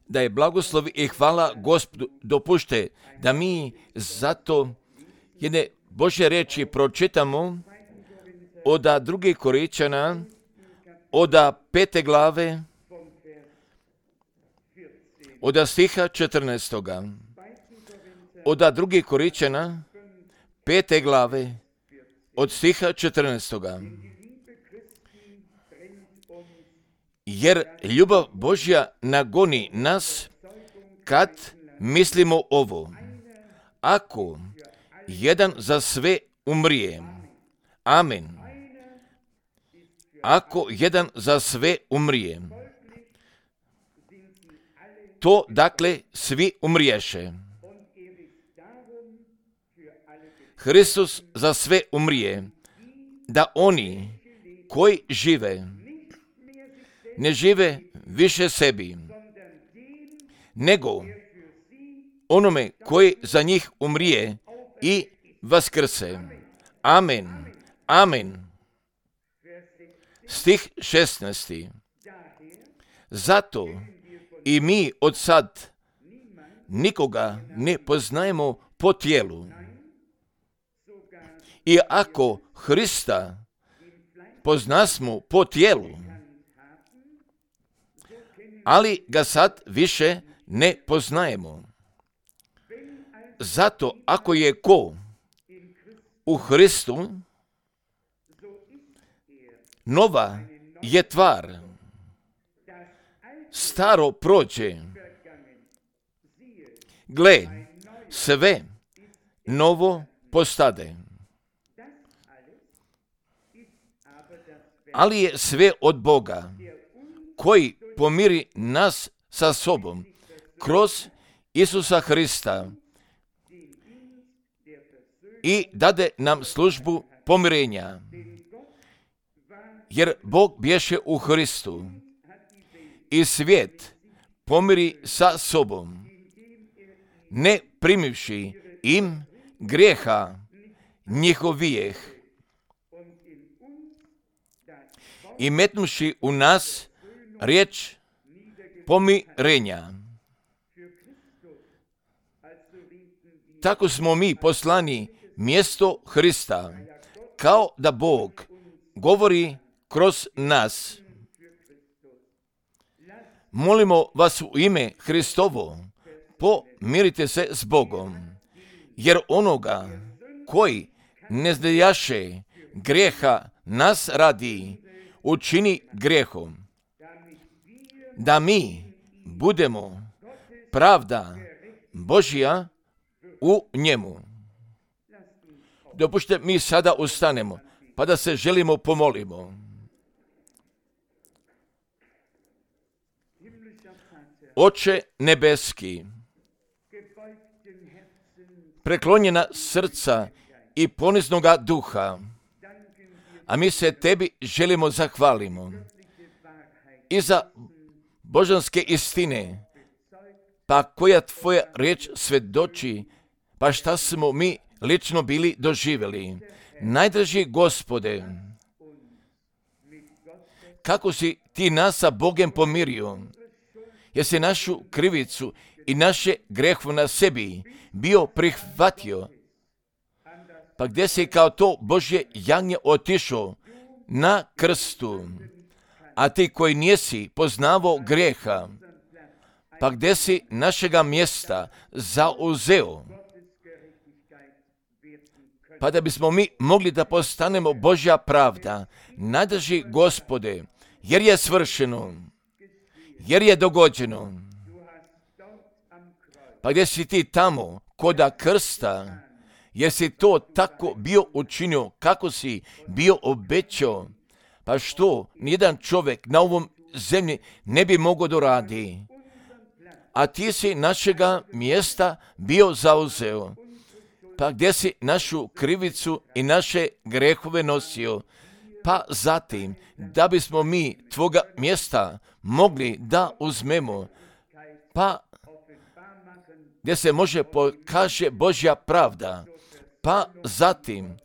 Da je blagoslov i hvala Gospodu. Dopušte da mi zato jedne Božje reči pročitamo od 2. Korinčana, od 5. glave, od stiha 14. Od 2. Korinčana, 5. glave, od stiha 14. Jer ljubav Božja nagoni nas kad mislimo ovo. Ako jedan za sve umrije, amen. Ako jedan za sve umrije, to dakle svi umriješe. Hristos za sve umrije, da oni koji žive, ne žive više sebi, nego onome koji za njih umrije i vaskrse. Amen. Amen. Stih 16. Zato i mi od sad nikoga ne poznajemo po tijelu. I ako Hrista poznasmo po tijelu, ali ga sad više ne poznajemo. Zato ako je ko u Hristu, nova je tvar. Staro prođe. Gle, sve novo postade. Ali je sve od Boga, koji pomiri nas sa sobom kroz Isusa Hrista i dade nam službu pomirenja. Jer Bog bješe u Hristu i svijet pomiri sa sobom, ne primivši im grijeha njihovijeh i metnuši u nas riječ pomirenja. Tako smo mi poslani mjesto Hrista, kao da Bog govori kroz nas. Molimo vas u ime Hristovo, pomirite se s Bogom, jer onoga koji ne znajaše grijeha nas radi, učini grijehom, da mi budemo pravda Božja u njemu. Dopušte mi sada ustanemo, pa da se želimo pomolimo. Oče nebeski, preklonjena srca i poniznoga duha, a mi se tebi želimo zahvalimo i za božanske istine, pa koja tvoja riječ svjedoči, pa šta smo mi lično bili doživjeli. Najdraži Gospode, kako si ti nas sa Bogem pomirio, jer si našu krivicu i naše grehove na sebi bio prihvatio, pa gdje si kao to Božje jagnje otišao na krstu, a ti koji nisi poznavao grijeha, pa gdje si našega mjesta zauzeo, pa da bismo mi mogli da postanemo Božja pravda. Najdraži Gospode, jer je svršeno, jer je dogođeno, pa gdje si ti tamo koda krsta, jer si to tako bio učinio kako si bio obećao, pa što nijedan čovjek na ovom zemlji ne bi mogao doradi, a ti si našega mjesta bio zauzeo, pa gdje si našu krivicu i naše grehove nosio, pa zatim da bismo mi tvoga mjesta mogli da uzmemo, pa gdje se može pokaže Božja pravda, pa zatim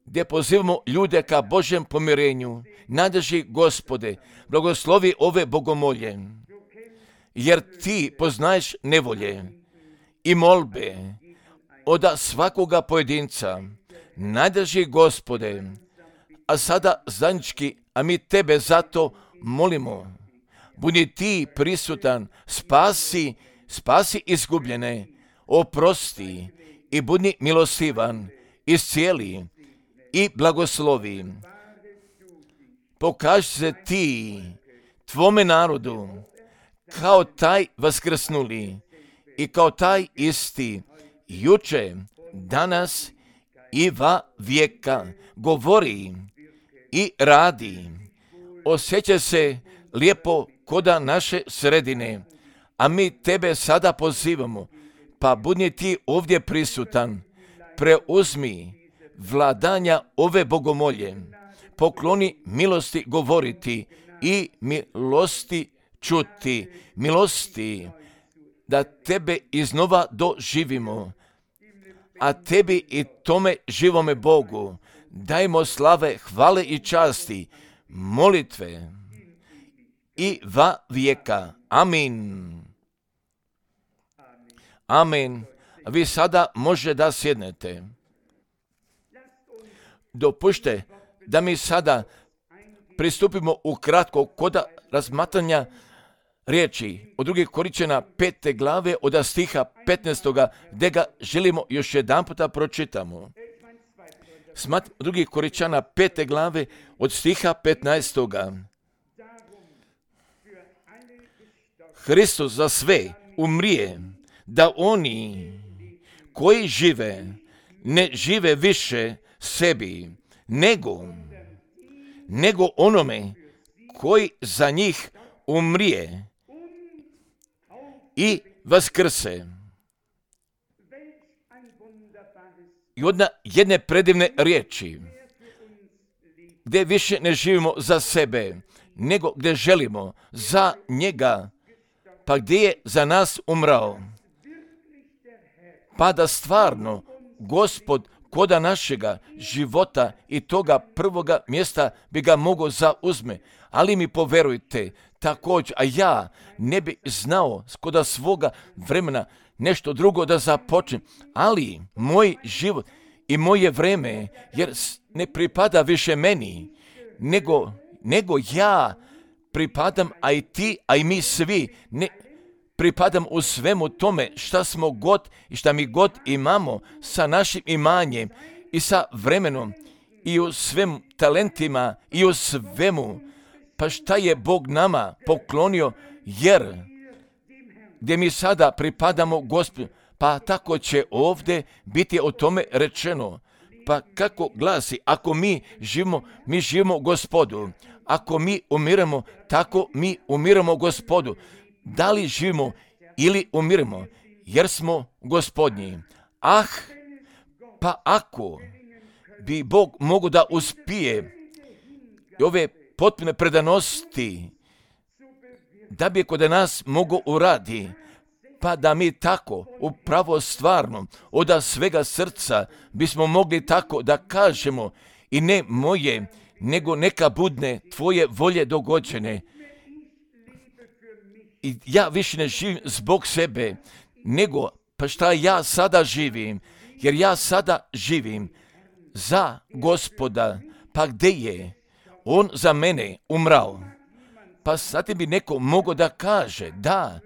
gdje pozivamo ljude ka Božjem pomirenju. Nadrži, Gospode, blagoslovi ove bogomolje, jer ti poznaješ nevolje i molbe od svakoga pojedinca. Nadrži, Gospode, a sada zajednički, a mi tebe zato molimo. Budi ti prisutan, spasi izgubljene, oprosti i budi milostivan, iscijeli i blagoslovi. Pokaži se ti tvome narodu kao taj vaskrsnuli i kao taj isti juče, danas i va vijeka. Govori i radi. Osjeća se lijepo koda naše sredine, a mi tebe sada pozivamo, pa budi ti ovdje prisutan. Preuzmi vladanja ove bogomolje, pokloni milosti govoriti i milosti čuti, milosti da tebe iznova doživimo, a tebi i tome živome Bogu dajmo slave, hvale i časti, molitve i va vijeka. Amin. Amin. Vi sada može da sjednete. Dopušte da mi sada pristupimo ukratko kod razmatranja riječi od 2. Korinćana 5. glave od stiha 15. gdje ga želimo još jedan puta pročitamo. 2. Korinćana 5. glave od stiha 15. Hristos za sve umrije, da oni koji žive ne žive više sebi, nego onome koji za njih umrije i vaskrse. I od jedne predivne riječi, gdje više ne živimo za sebe, nego gdje želimo za njega, pa gdje je za nas umrao. Pa da stvarno Gospod koda našega života i toga prvoga mjesta bi ga mogao zauzme. Ali mi poverujte, također, a ja ne bi znao koda svoga vremena nešto drugo da započnem, ali moj život i moje vreme, jer ne pripada više meni, nego ja pripadam, a i ti, a i mi svi, ne pripadam u svemu tome šta smo god i šta mi god imamo sa našim imanjem i sa vremenom i u svem talentima i u svemu. Pa šta je Bog nama poklonio, jer gdje mi sada pripadamo Gospodu, pa tako će ovdje biti o tome rečeno. Pa kako glasi, ako mi živimo Gospodu. Ako mi umiremo, tako mi umiramo Gospodu. Da li živimo ili umiremo, jer smo Gospodnji. Pa ako bi Bog mogao da uspije ove potpune predanosti, da bi kod nas mogao uradi, pa da mi tako upravo stvarno od svega srca bismo mogli tako da kažemo i ne moje, nego neka budne tvoje volje dogođene. I ja više ne živim zbog sebe, nego pa šta ja sada živim, jer ja sada živim za Gospoda, pa gdje je on za mene umrao. Pa sad bi neko mogao da kaže, da,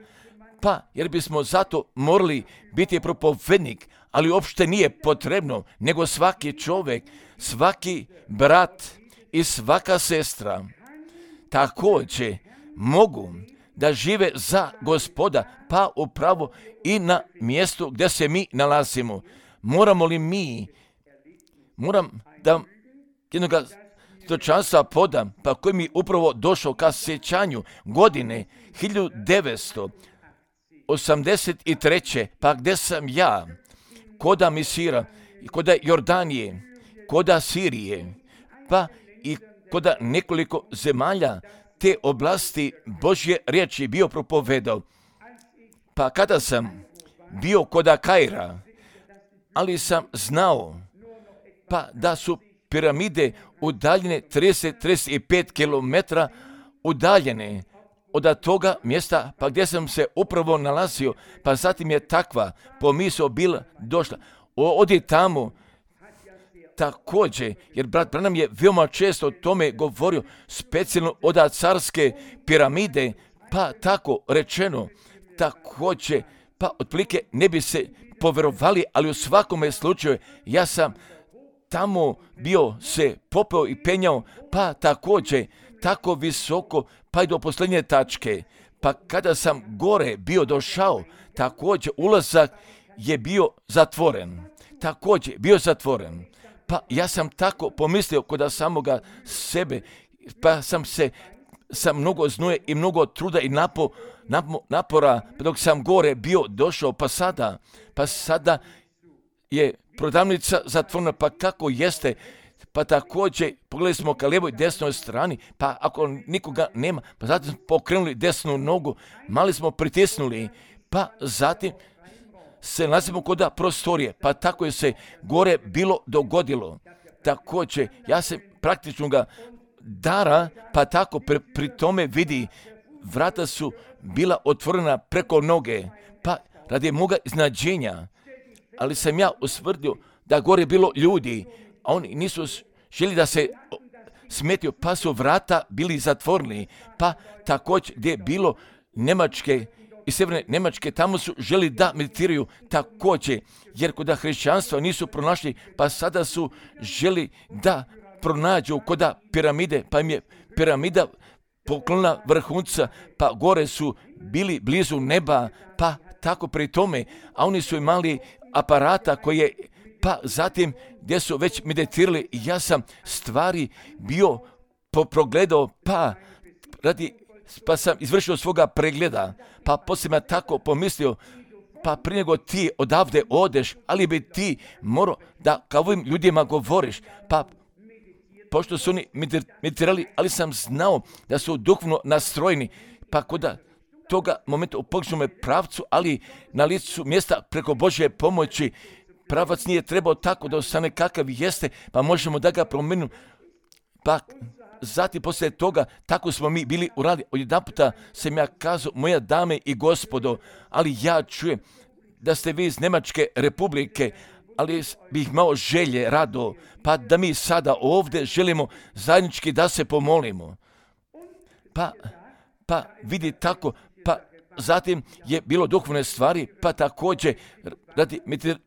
pa jer bismo zato morali biti propovednik, ali uopšte nije potrebno, nego svaki čovjek, svaki brat i svaka sestra također mogu da žive za Gospoda, pa upravo i na mjestu gdje se mi nalazimo. Moram da jednoga stočanstva podam, pa koji mi upravo došao ka sjećanju godine 1983. pa gdje sam ja, koda Misira, koda Jordanije, koda Sirije, pa i koda nekoliko zemalja te oblasti Božje riječi bio propovedao. Pa kada sam bio koda Kaira, ali sam znao pa da su piramide udaljene 30-35 km udaljene od toga mjesta pa gdje sam se upravo nalazio, pa zatim je takva pomisao bila došla. Odi tamo također, jer brat Branham je veoma često o tome govorio, specijalno od carske piramide, pa tako rečeno, također, pa otprilike ne bi se povjerovali, ali u svakome slučaju ja sam tamo bio se popeo i penjao, pa također tako visoko, pa i do posljednje tačke. Pa kada sam gore bio došao, također ulazak je bio zatvoren. Također bio zatvoren. Pa ja sam tako pomislio kod samoga sebe, pa sam se sa mnogo znuje i mnogo truda i napora, dok sam gore bio došao, pa sada je prodavnica zatvorena, pa kako jeste, pa također pogledali smo ka lijevoj i desnoj strani, pa ako nikoga nema, pa zatim smo pokrenuli desnu nogu, mali smo pritisnuli, pa zatim se nalazimo kod prostorije, pa tako je se gore bilo dogodilo. Također, ja se praktično ga dara, pa tako pri tome vidi, vrata su bila otvorena preko noge, pa radi moga iznađenja, ali sam ja usvrdio da gore bilo ljudi, a oni nisu želi da se smetio, pa su vrata bili zatvoreni, pa također gdje je bilo Njemačke i sjeverne Njemačke, tamo su želi da meditiraju također, jer kod hrišćanstva nisu pronašli, pa sada su želi da pronađu kod piramide, pa im je piramida poklona vrhunca, pa gore su bili blizu neba, pa tako pri tome, a oni su imali aparata koji je, pa zatim gdje su već meditirali, i ja sam stvari bio progledao, pa sam izvršio svoga pregleda, pa poslije me tako pomislio, pa prije nego ti odavde odeš, ali bi ti morao da kao ovim ljudima govoriš, pa pošto su oni meditirali, ali sam znao da su duhovno nastrojeni, pa kod toga momenta u pogrešnom pravcu, ali na licu mjesta preko Božje pomoći, pravac nije trebao tako da ostane kakav jeste, pa možemo da ga promijenimo. Pa zatim poslije toga, tako smo mi bili uradili. Odjedanputa sam ja kazao, moja dame i gospodo, ali ja čujem da ste vi iz Njemačke republike, ali bih imao želje, rado, pa da mi sada ovdje želimo zajednički da se pomolimo. Pa vidi tako, pa zatim je bilo duhovne stvari, pa također radi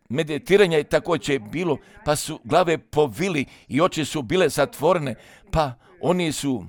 meditiranja je također bilo, pa su glave povili i oči su bile zatvorene, pa oni su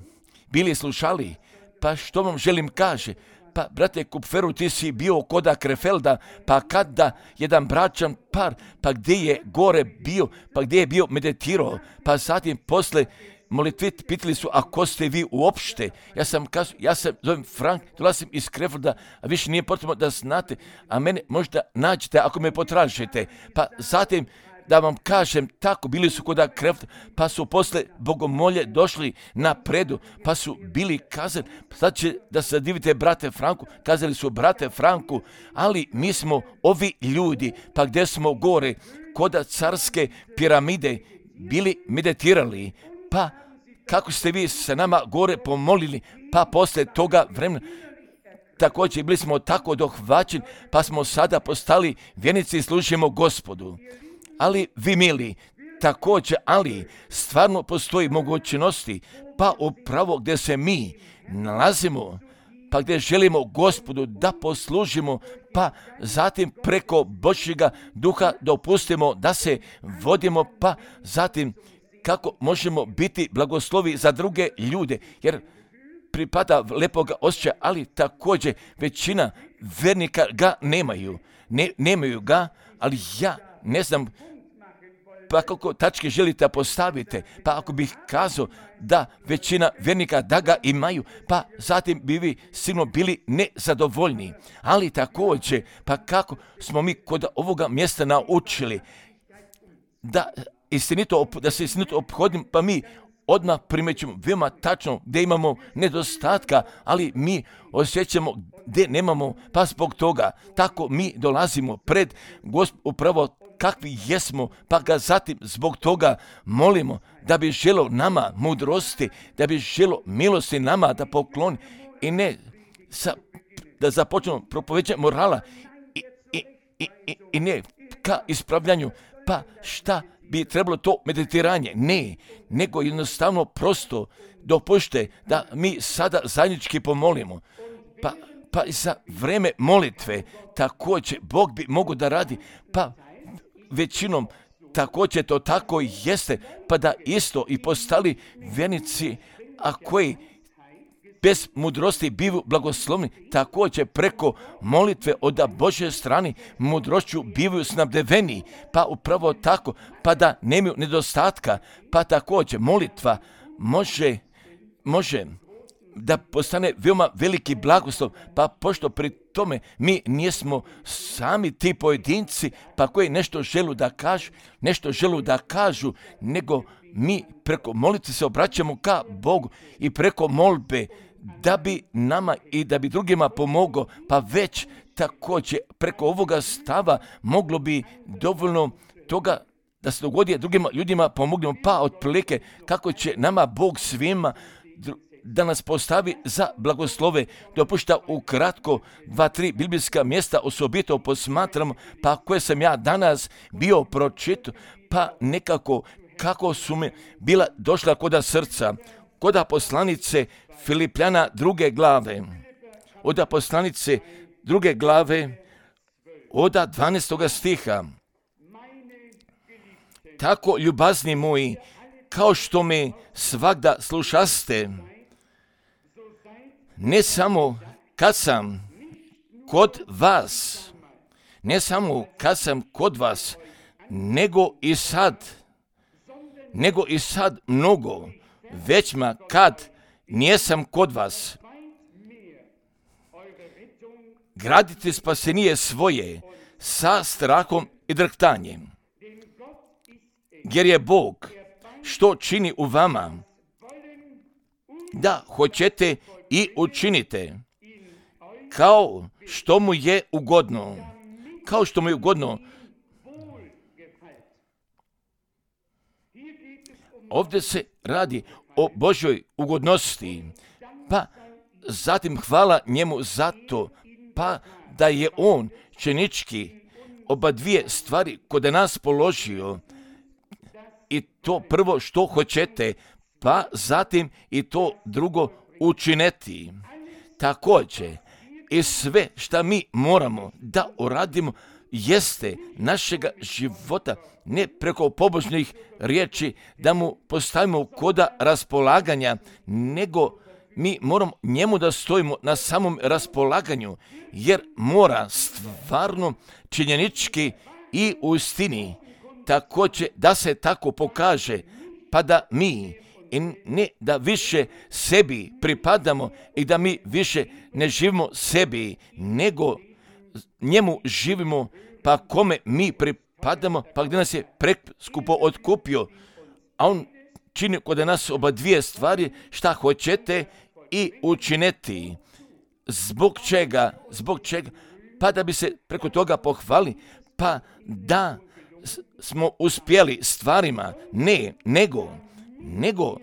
bili slušali. Pa što vam želim kaže? Pa, brate Kupferu, ti si bio koda Krefelda, pa kada jedan bračan par, pa gdje je gore bio, pa gdje je bio meditirao, pa zatim posle molitvi pitali su, a ko ste vi uopšte? Ja sam kazao, ja se zovem Frank, dolazim iz Krefelda, a više nije potrebno da znate, a mene možda nađete ako me potražite. Pa zatim da vam kažem, tako bili su kod Krefelda, pa su posle bogomolje došli na predu, pa su bili kazali, sad će da se divite brate Franku, kazali su brate Franku, ali mi smo ovi ljudi, pa gdje smo gore, kod carske piramide, bili meditirali, pa kako ste vi se nama gore pomolili, pa posle toga vremena, također bili smo tako dohvaćeni, pa smo sada postali vjernici i služimo Gospodu. Ali vi mili, također, ali stvarno postoji mogućnosti, pa upravo gdje se mi nalazimo, pa gdje želimo Gospodu da poslužimo, pa zatim preko Božjega duha dopustimo da se vodimo, pa zatim kako možemo biti blagoslovi za druge ljude, jer pripada lepoga osjećaja, ali također većina vernika ga nemaju. Nemaju ga, ali ja ne znam pa kako tačke želite postavite, pa ako bih kazao da većina vernika da ga imaju, pa zatim bi vi sigurno bili nezadovoljni. Ali također, pa kako smo mi kod ovoga mjesta naučili da se istinito ophodim, pa mi odmah primećujemo veoma tačno gdje imamo nedostatka, ali mi osjećamo gdje nemamo, pa zbog toga tako mi dolazimo pred upravo kakvi jesmo, pa ga zatim zbog toga molimo da bi želo nama mudrosti, da bi želo milosti nama da pokloni i ne da započnemo propoveđenje morala i ne ka ispravljanju, pa šta bi trebalo to meditiranje, ne, nego jednostavno prosto dopušte da mi sada zajednički pomolimo, pa i za vreme molitve također Bog bi mogao da radi, pa većinom također to tako jeste, pa da isto i postali vjernici, a koji bez mudrosti bivaju blagoslovni, također preko molitve od Božje strane mudrošću bivaju snabdeveni, pa upravo tako, pa da nemaju nedostatka, pa također molitva može da postane veoma veliki blagoslov, pa pošto pri tome mi nismo sami ti pojedinci, pa koji nešto želu da kažu, nego mi preko molitve se obraćamo ka Bogu i preko molbe da bi nama i da bi drugima pomogao, pa već također preko ovoga stava moglo bi dovoljno toga da se dogodi drugim ljudima pomognemo, pa otprilike kako će nama Bog svima da nas postavi za blagoslove. Dopušta ukratko 2-3 biblijska mjesta osobito posmatramo, pa koje sam ja danas bio pročitao, pa nekako kako su mi bila došla koda srca. Koda poslanice Filipljana 2. glave, od poslanice 2. glave, od 12. stiha. Tako, ljubazni moji, kao što me svagda slušaste, ne samo kad sam kod vas, nego i sad mnogo, većma kad nijesam kod vas. Gradite spasenije svoje sa strahom i drhtanjem, jer je Bog što čini u vama, da hoćete i učinite, kao što mu je ugodno. Ovdje se radi o Božjoj ugodnosti, pa zatim hvala njemu za to, pa da je on činički oba dvije stvari kod nas položio, i to prvo što hoćete, pa zatim i to drugo učineti. Također, i sve što mi moramo da uradimo jeste našega života, ne preko pobožnih riječi da mu postavimo koda raspolaganja, nego mi moramo njemu da stojimo na samom raspolaganju, jer mora stvarno činjenički i u istini također da se tako pokaže, pa da mi i ne da više sebi pripadamo i da mi više ne živimo sebi, nego njemu živimo, pa kome mi pripadamo, pa gdje nas je preskupo otkupio, a on čini kod nas oba dvije stvari, šta hoćete i učiniti. Zbog čega? Pa da bi se preko toga pohvali, pa da smo uspjeli stvarima, nego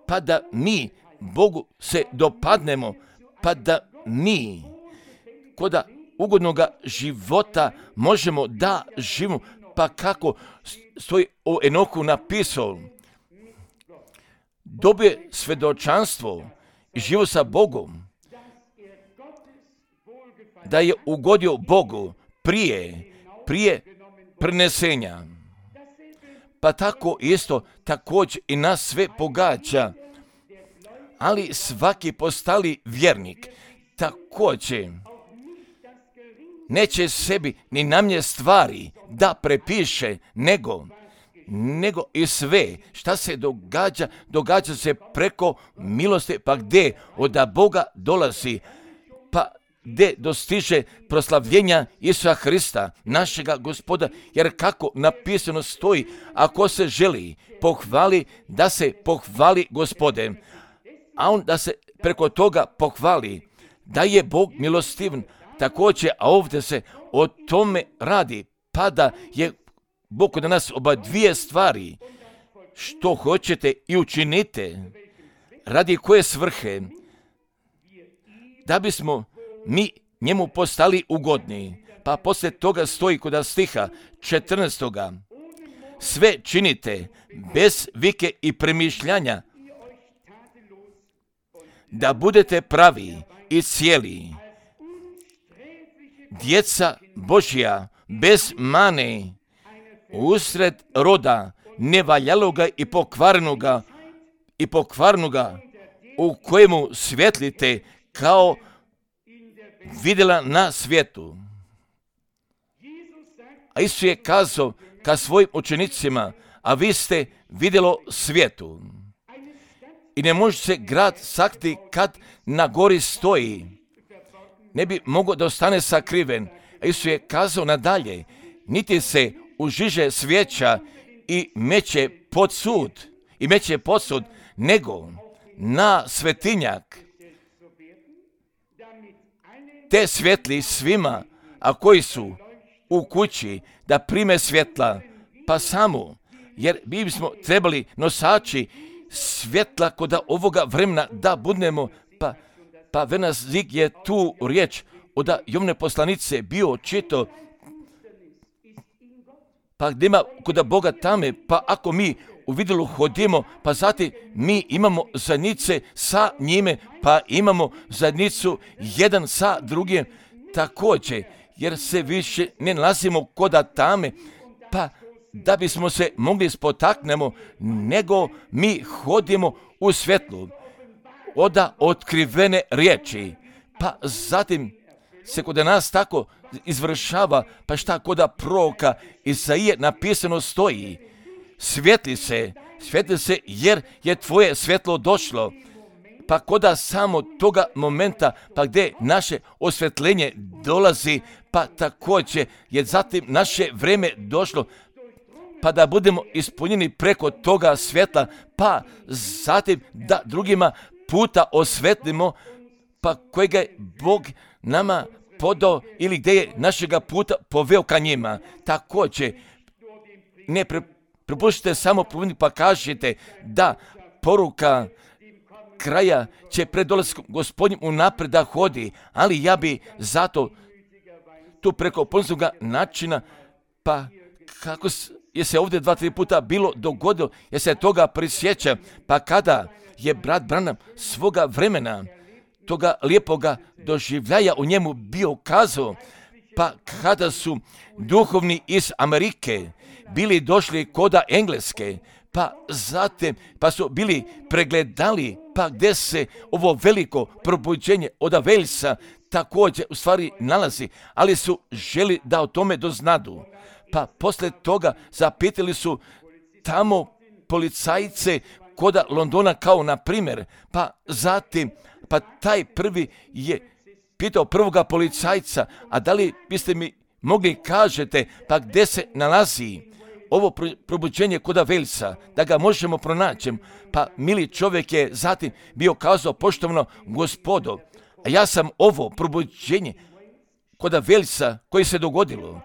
pa da mi Bogu se dopadnemo, pa da mi koda ugodnoga života možemo da živimo, pa kako stoji o Enoku napisao, dobije svjedočanstvo i živo sa Bogom, da je ugodio Bogu prije prenesenja. Pa tako isto također i nas sve pogađa, ali svaki postali vjernik također neće sebi ni namje stvari da prepiše, nego i sve šta se događa se preko milosti, pa gdje od Boga dolazi, pa gdje dostiže proslavljenja Isusa Hrista, našega Gospoda, jer kako napisano stoji, ako se želi pohvali, da se pohvali Gospode, a on da se preko toga pohvali, da je Bog milostivan, također, a ovdje se o tome radi, pa da je Bog kod nas oba dvije stvari, što hoćete i učinite, radi koje svrhe, da bismo mi njemu postali ugodni. Pa poslije toga stoji kod stiha 14. Sve činite bez vike i premišljanja, da budete pravi i cijeli, djeca Božja bez mane, usred roda nevaljaloga i pokvarnoga, u kojemu svjetlite kao vidjela na svijetu. A Isus je kazao ka svojim učenicima, a vi ste vidjelo svijetu. I ne može se grad sakriti kad na gori stoji. Ne bi mogao da ostane sakriven. A Isus je kazao nadalje, niti se užiže svijeća i meće pod sud, nego na svetinjak, te svjetli svima, a koji su u kući, da prime svjetla, pa samo, jer mi bismo trebali nosači svjetla kod ovoga vremena da budemo, pa Venas Zig je tu riječ od Jovne poslanice bio čito, pa gdje ima kod Boga tame, pa ako mi u vidjelu hodimo, pa zatim mi imamo zajednice sa njime, pa imamo zajednicu jedan sa drugim također, jer se više ne nalazimo kod tame, pa da bismo se mogli spotaknemo, nego mi hodimo u svjetlu od otkrivene riječi. Pa zatim se kod nas tako izvršava, pa šta kod proroka Isaije napisano stoji, svijetli se jer je tvoje svjetlo došlo. Pa kod samo toga momenta, pa gdje naše osvjetljenje dolazi, pa također je zatim naše vrijeme došlo, pa da budemo ispunjeni preko toga svjetla, pa zatim da drugima puta osvetlimo, pa kojega je Bog nama podao ili gdje je našega puta poveo ka njima. Također, ne prepuštite samo pa kažete da poruka kraja će pred dolaskom Gospodnjim unaprijed da hodi, ali ja bi zato tu preko ponosnoga načina, pa kako je se ovdje 2-3 puta bilo dogodilo, jer se toga prisjeća, pa kada je brat Branham svoga vremena, toga lijepoga doživljaja u njemu bio kazao, pa kada su duhovni iz Amerike bili došli koda Engleske, pa zatim, pa su bili pregledali, pa gdje se ovo veliko probuđenje od Walesa također u stvari nalazi, ali su želi da o tome doznadu. Pa poslije toga zapitali su tamo policajce koda Londona kao na primjer, pa zatim, pa taj prvi je pitao prvoga policajca, a da li biste mi mogli kažete, pa gdje se nalazi ovo probuđenje koda Walesa, da ga možemo pronaći. Pa mili čovjek je zatim bio kazao, poštovano gospodo, a ja sam ovo probuđenje koda Walesa koji se dogodilo,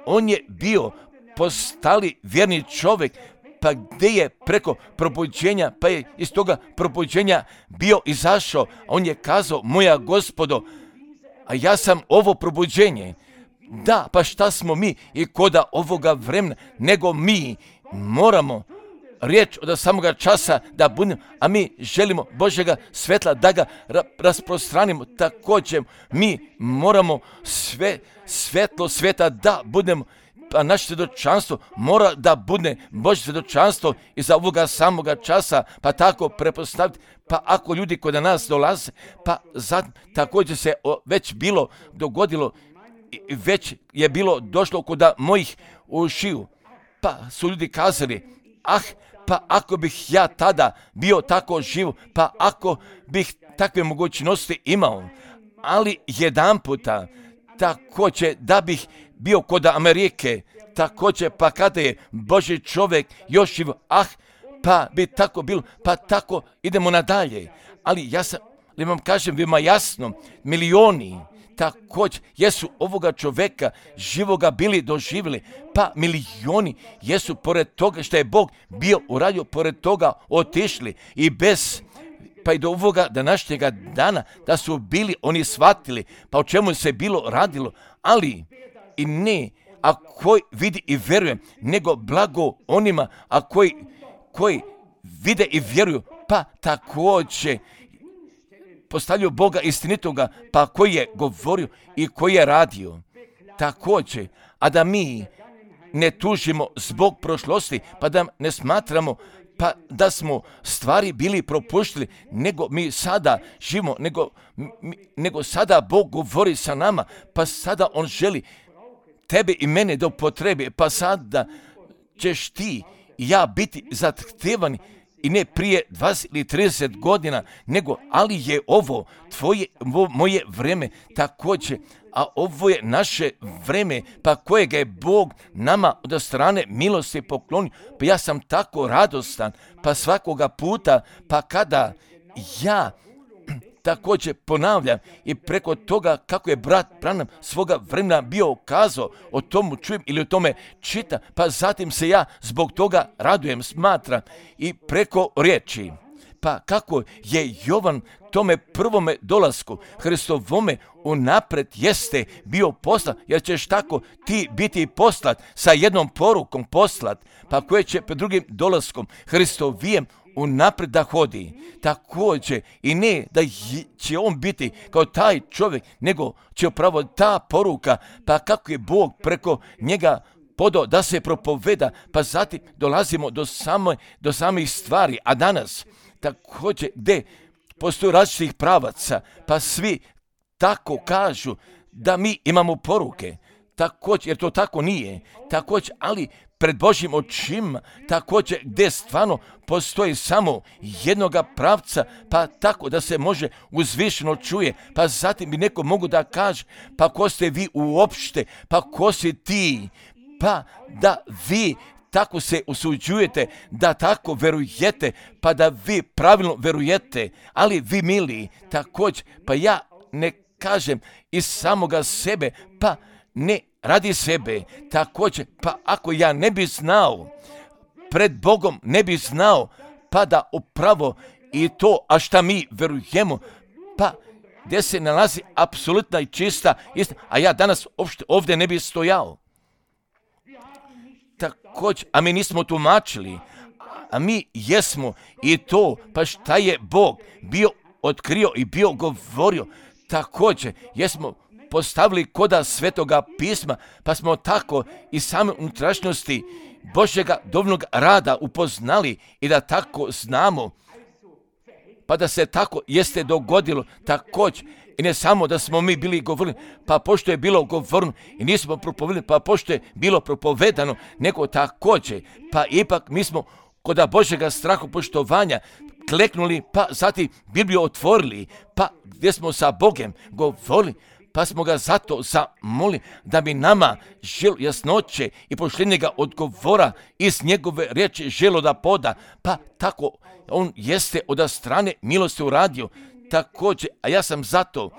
on je bio postali vjerni čovjek, pa gdje je preko probuđenja, pa je iz toga probuđenja bio izašao, a on je kazao, moja gospodo, a ja sam ovo probuđenje. Da, pa šta smo mi i koda ovoga vremena, nego mi moramo riječ od samoga časa da budemo, a mi želimo Božjega svetla da ga rasprostranimo. Također mi moramo sve svetlo sveta da budemo, pa naše svjedočanstvo mora da bude Božje svjedočanstvo iza ovoga samoga časa, pa tako prepostaviti, pa ako ljudi kod nas dolaze, pa također se već bilo dogodilo, već je bilo došlo kod mojih ušiju, pa su ljudi kazali, pa ako bih ja tada bio tako živ, pa ako bih takve mogućnosti imao, ali jedan puta također da bih bio kod Amerike, također pa kada je Božji čovjek još živ, pa bi tako bilo, pa tako idemo nadalje. Ali ja vam kažem, vima jasno, milioni također jesu ovoga čovjeka živoga bili doživjeli, pa milioni jesu pored toga što je Bog bio uradio, pored toga otišli i bez, pa i do ovoga današnjega dana da su bili oni shvatili pa o čemu se bilo radilo, ali i ne, a koji vidi i vjeruje, nego blago onima, a koji vide i vjeruju, pa također postavljaju Boga istinitoga, pa koji je govorio i koji je radio. Također, a da mi ne tužimo zbog prošlosti, pa da ne smatramo pa da smo stvari bili propuštili, nego mi sada živimo, nego sada Bog govori sa nama, pa sada On želi tebe i mene da upotrebi, pa sada ćeš ti i ja biti zahtevani i ne prije 20 ili 30 godina, nego ali je ovo moje vreme također, a ovo je naše vreme, pa kojega je Bog nama od strane milosti poklonio. Pa ja sam tako radostan, pa svakoga puta, pa kada ja također ponavljam i preko toga kako je brat Branham svoga vremena bio kazao, o tomu čujem ili o tome čitam, pa zatim se ja zbog toga radujem, smatram i preko riječi. Pa kako je Jovan tome prvome dolasku Hristovome unaprijed jeste bio poslat, jer ćeš tako ti biti poslat sa jednom porukom poslat, pa koje će pred drugim dolaskom Hristovijem unaprijed da hodi. Također i ne da će on biti kao taj čovjek, nego će upravo ta poruka, pa kako je Bog preko njega podao da se propoveda, pa zatim dolazimo do samih stvari. A danas također gdje postoji različitih pravaca, pa svi tako kažu da mi imamo poruke, također, jer to tako nije, također, ali pred Božjim očima, također gdje stvarno postoji samo jednoga pravca, pa tako da se može uzvišeno čuje, pa zatim bi neko mogu da kaže, pa ko ste vi uopšte, pa ko si ti, pa da vi tako se usuđujete, da tako verujete, pa da vi pravilno verujete, ali vi mili, također, pa ja ne kažem iz samoga sebe, pa ne radi sebe, također, pa ako ja ne bi znao, pred Bogom ne bi znao, pa da upravo i to, a šta mi verujemo, pa gdje se nalazi apsolutna i čista istina, a ja danas ovdje ne bi stojao. Također, a mi nismo tumačili, a mi jesmo i to, pa šta je Bog bio otkrio i bio govorio, također, jesmo postavili koda Svetoga pisma, pa smo tako i same unutrašnjosti Božjega dovoljnog rada upoznali i da tako znamo, pa da se tako jeste dogodilo također. I ne samo da smo mi bili govorili, pa pošto je bilo govorno i nismo propovedali, pa pošto je bilo propovedano, nego također, pa ipak mi smo kod Božjega strahu poštovanja kleknuli, pa zatim Bibliju otvorili, pa gdje smo sa Bogem govorili, pa smo ga zato zamolili da bi nama želo jasnoće i poštenjega odgovora iz njegove riječi želo da poda, pa tako on jeste od strane milosti uradio također, a ja sam zato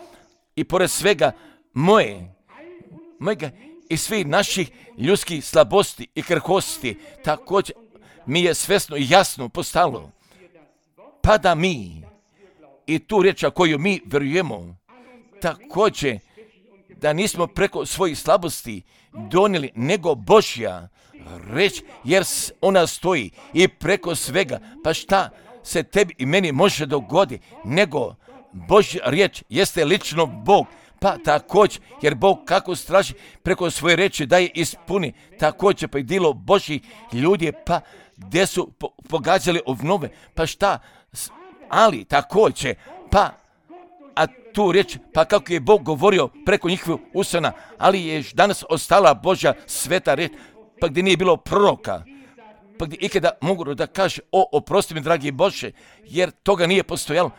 i pored svega mojega i svih naših ljudskih slabosti i krhosti, također mi je svesno i jasno postalo, pa da mi i tu riječ koju mi verujemo, također da nismo preko svojih slabosti donijeli, nego Božja reč, jer ona stoji i preko svega, pa šta se tebi i meni može dogoditi, nego Božja riječ jeste lično Bog, pa također, jer Bog kako straži preko svoje reči da je ispuni, također pa i dilo Božjih ljudi, pa gdje su pogađali obnove, pa šta, ali također, pa a tu riječ, pa kako je Bog govorio preko njihovih usana, ali je danas ostala Božja sveta riječ, pa gdje nije bilo proroka, pa gdje ikada mogu da kaže, oprosti mi dragi Bože, jer toga nije postojalo,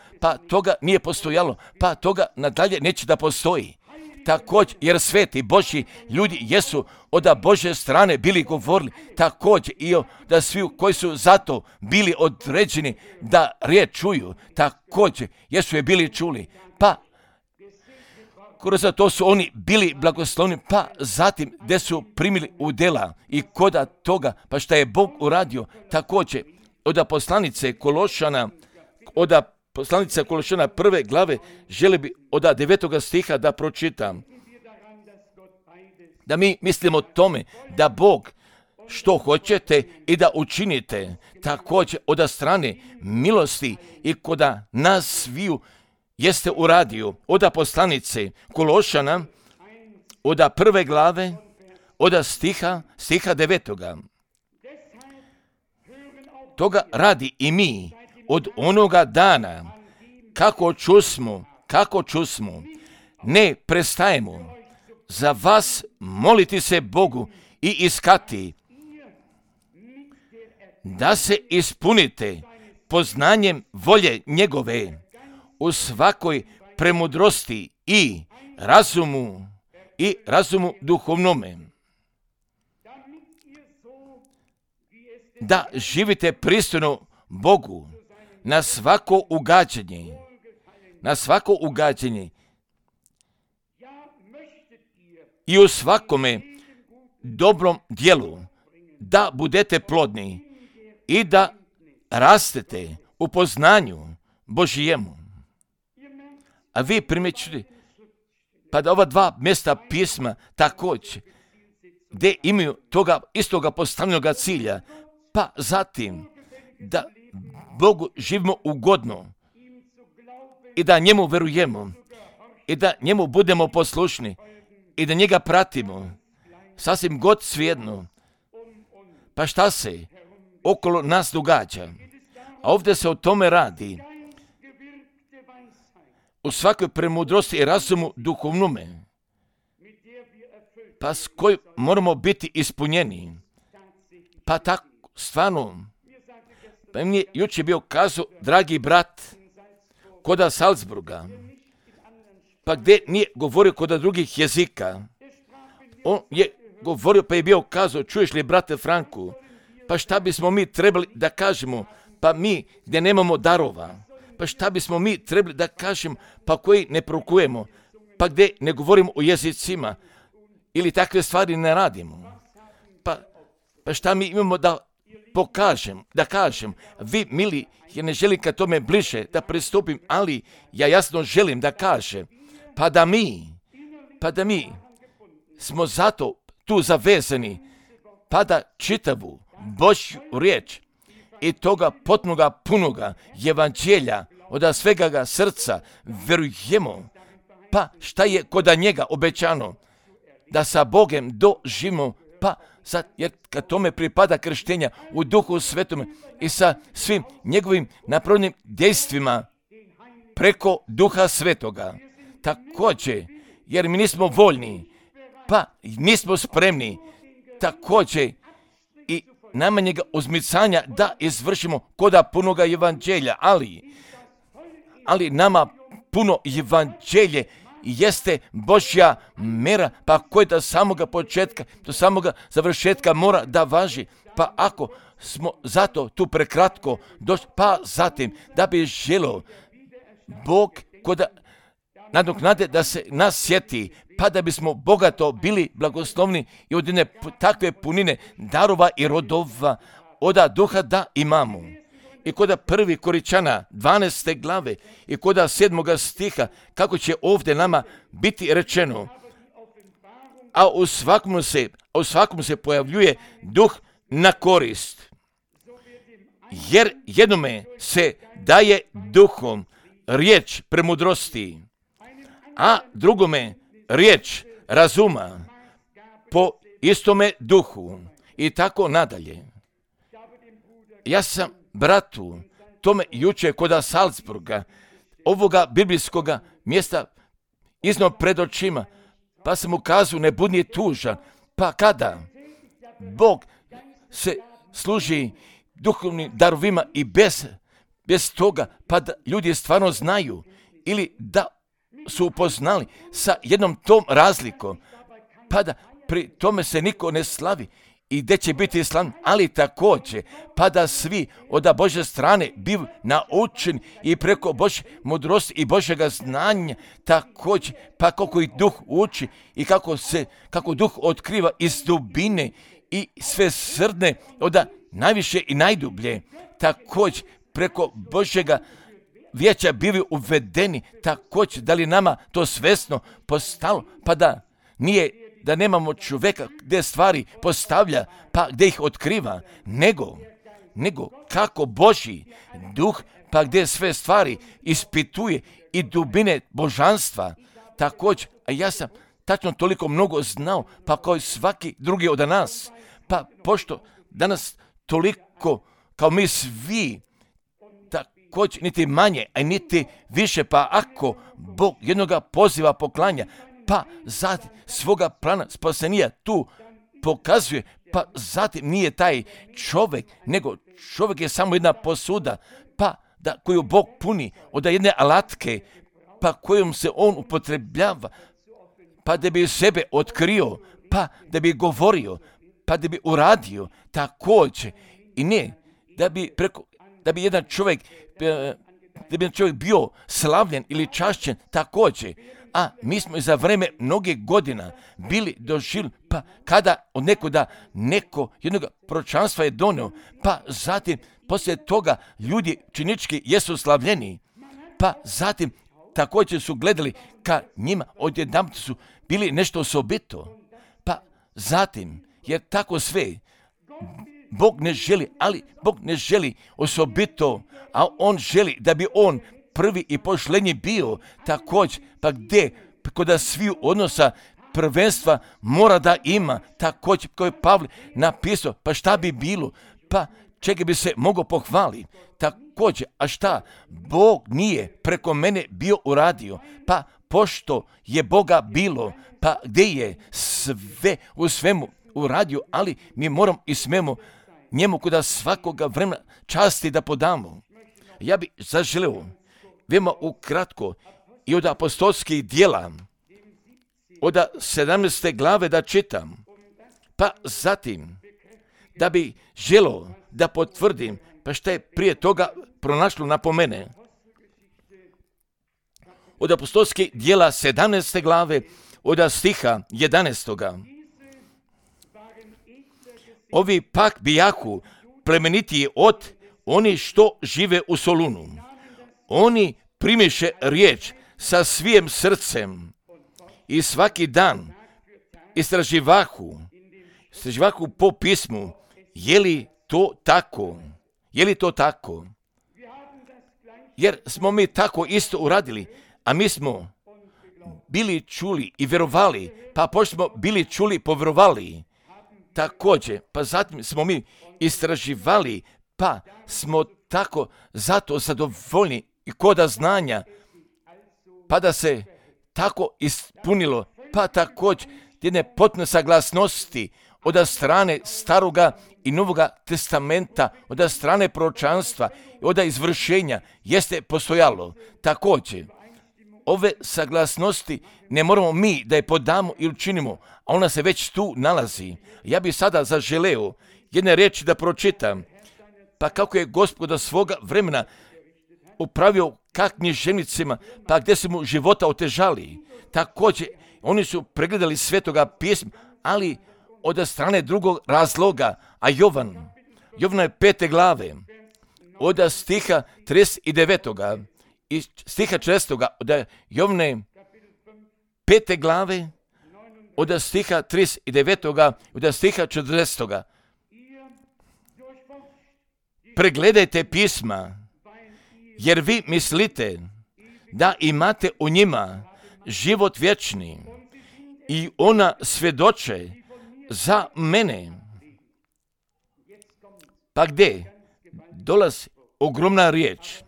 pa toga nadalje neće da postoji. Također, jer sveti Božji ljudi jesu od Božje strane bili govorili, također i da svi koji su zato bili određeni da riječ čuju, također jesu je bili čuli, pa Kroz to su oni bili blagoslovni, pa zatim gdje su primili udjela i koda toga, pa šta je Bog uradio također od poslanice Kološana prve glave, želi bi od 9. stiha da pročitam. Da mi mislimo o tome da Bog što hoćete i da učinite također od strane milosti i koda nas sviju jeste uradio od poslanice Kološana od prve glave od stiha 9. Toga radi i mi od onoga dana kako čusmo, ne prestajemo za vas moliti se Bogu i iskati da se ispunite poznanjem volje njegove u svakoj premudrosti i razumu duhovnome, da živite pristojno Bogu na svako ugađanje i u svakome dobrom djelu, da budete plodni i da rastete u poznanju Božijemu. A vi primjećujete, pa da ova dva mjesta pisma također, gdje imaju toga istoga postavljenoga cilja, pa zatim da Bogu živimo ugodno i da njemu verujemo i da njemu budemo poslušni i da njega pratimo, sasvim god svejedno, pa šta se okolo nas događa. A ovdje se o tome radi, u svakoj premudrosti i razumu duhovnome, pa s kojim moramo biti ispunjeni. Pa tako, stvarno, pa mi je jučer bio kazao, dragi brat, koda Salzburga, pa gdje nije govorio koda drugih jezika. On je govorio, pa je bio kazao, čuješ li, brate Franku, pa šta bismo mi trebali da kažemo, pa mi gdje nemamo darova, pa šta bismo mi trebali da kažemo, pa koji ne prokujemo, pa gdje ne govorimo o jezicima, ili takve stvari ne radimo. Pa šta mi imamo da kažem, vi mili, ja ne želim ka tome bliže da pristupim, ali ja jasno želim da kažem, pa da mi smo zato tu zavezani, pa da čitavu Božju riječ i toga potpunoga punoga evanđelja od svega srca verujemo, pa šta je koda njega obećano, da sa Bogem doživimo, pa jer kad tome pripada krštenja u Duhu Svetome i sa svim njegovim napravljenim dejstvima preko Duha Svetoga. Također, jer mi nismo voljni, pa nismo spremni, također i najmanjega uzmicanja da izvršimo koda punoga evanđelja, ali nama puno evanđelje jeste Božja mera, pa koja do samoga početka, do samoga završetka mora da važi. Pa ako smo zato tu prekratko došli, pa zatim da bi želio Bog koda nadoknade da se nas sjeti, pa da bismo bogato bili blagoslovni i od jedne takve punine darova i rodova od Duha da imamo. I koda 1. Koričana 12. glave i koda 7. stiha, kako će ovdje nama biti rečeno, a u svakom se pojavljuje duh na korist. Jer jednome se daje duhom riječ premudrosti, a drugome riječ razuma po istome duhu i tako nadalje. Ja sam bratu tome jučer koda Salzburga, ovoga biblijskoga mjesta iznio pred očima, pa sam mu kazao, ne budi tužan, pa kada Bog se služi duhovnim darovima i bez toga, pa da ljudi stvarno znaju ili da su upoznali sa jednom tom razlikom, pa da pri tome se niko ne slavi i gdje će biti islam, ali također, pa da svi od Božje strane biv naučeni i preko Božje mudrosti i Božjega znanja, također, pa kako i duh uči i kako duh otkriva iz dubine i sve srdne, od najviše i najdublje, također, preko Božjega vijeća bili uvedeni, također, da li nama to svjesno postalo, pa da nemamo čovjeka gdje stvari postavlja, pa gdje ih otkriva, nego kako Božji duh, pa gdje sve stvari ispituje i dubine božanstva, također, a ja sam tačno toliko mnogo znao, pa kao i svaki drugi od nas, pa pošto danas toliko kao mi svi, također niti manje, a niti više, pa ako Bog jednoga poziva poklanja, pa zatim svoga plana spasenija tu pokazuje, pa zatim nije taj čovjek, nego čovjek je samo jedna posuda, pa koju Bog puni od jedne alatke, pa kojom se on upotrebljava, pa da bi sebe otkrio, pa da bi govorio, pa da bi uradio također, i ne da bi jedan čovjek bio slavljen ili čašćen također, a mi smo za vreme mnogih godina bili doživjeli, pa kada od neko jednog proročanstva je donio, pa zatim poslije toga ljudi činički jesu slavljeni, pa zatim također su gledali ka njima, odjedanput su bili nešto osobito, pa zatim, jer tako sve, Bog ne želi, ali Bog ne želi osobito, a On želi da bi On prvi i pošlenji bio, također, pa gdje, kod svih odnosa prvenstva mora da ima, također, koji je Pavle napisao, pa šta bi bilo, pa čega bi se mogao pohvaliti, također, a šta, Bog nije preko mene bio uradio, pa pošto je Boga bilo, pa gdje je sve u svemu uradio, ali mi moramo i smemo njemu kod svakoga vremena časti da podamo. Ja bi zaželeo veoma ukratko i od apostolskih djela, od 17. glave da čitam, pa zatim da bi želio da potvrdim, pa što je prije toga pronašlo napomene. Od apostolskih djela 17. glave, od stiha 11. Ovi pak bijahu plemenitiji od oni što žive u Solunu. Oni primiše riječ sa svijim srcem i svaki dan istraživahu po pismu, je li to tako? Jer smo mi tako isto uradili, a mi smo bili čuli i vjerovali, pa pošto smo bili čuli, povjerovali. Također, pa zatim smo mi istraživali, pa smo tako zato zadovoljni i koda znanja, pa da se tako ispunilo, pa također jedne potpune saglasnosti od strane Staroga i Novoga testamenta, od strane proročanstva i od izvršenja jeste postojalo. Također, ove saglasnosti ne moramo mi da je podamo i učinimo, a ona se već tu nalazi. Ja bih sada zaželeo jedne riječi da pročitam, pa kako je Gospod do svoga vremena upravio ka književnicima, pa gdje su mu života otežali. Također, oni su pregledali Svetoga pisma, ali od strane drugog razloga, a Jovana je 5. glave, od stiha 39. i stiha 40. od Jovane 5. glave, od stiha 39. od stiha 40. Pregledajte pisma, jer vi mislite da imate u njima život vječni i ona svjedoče za mene. Pa gdje dolazi ogromna riječ?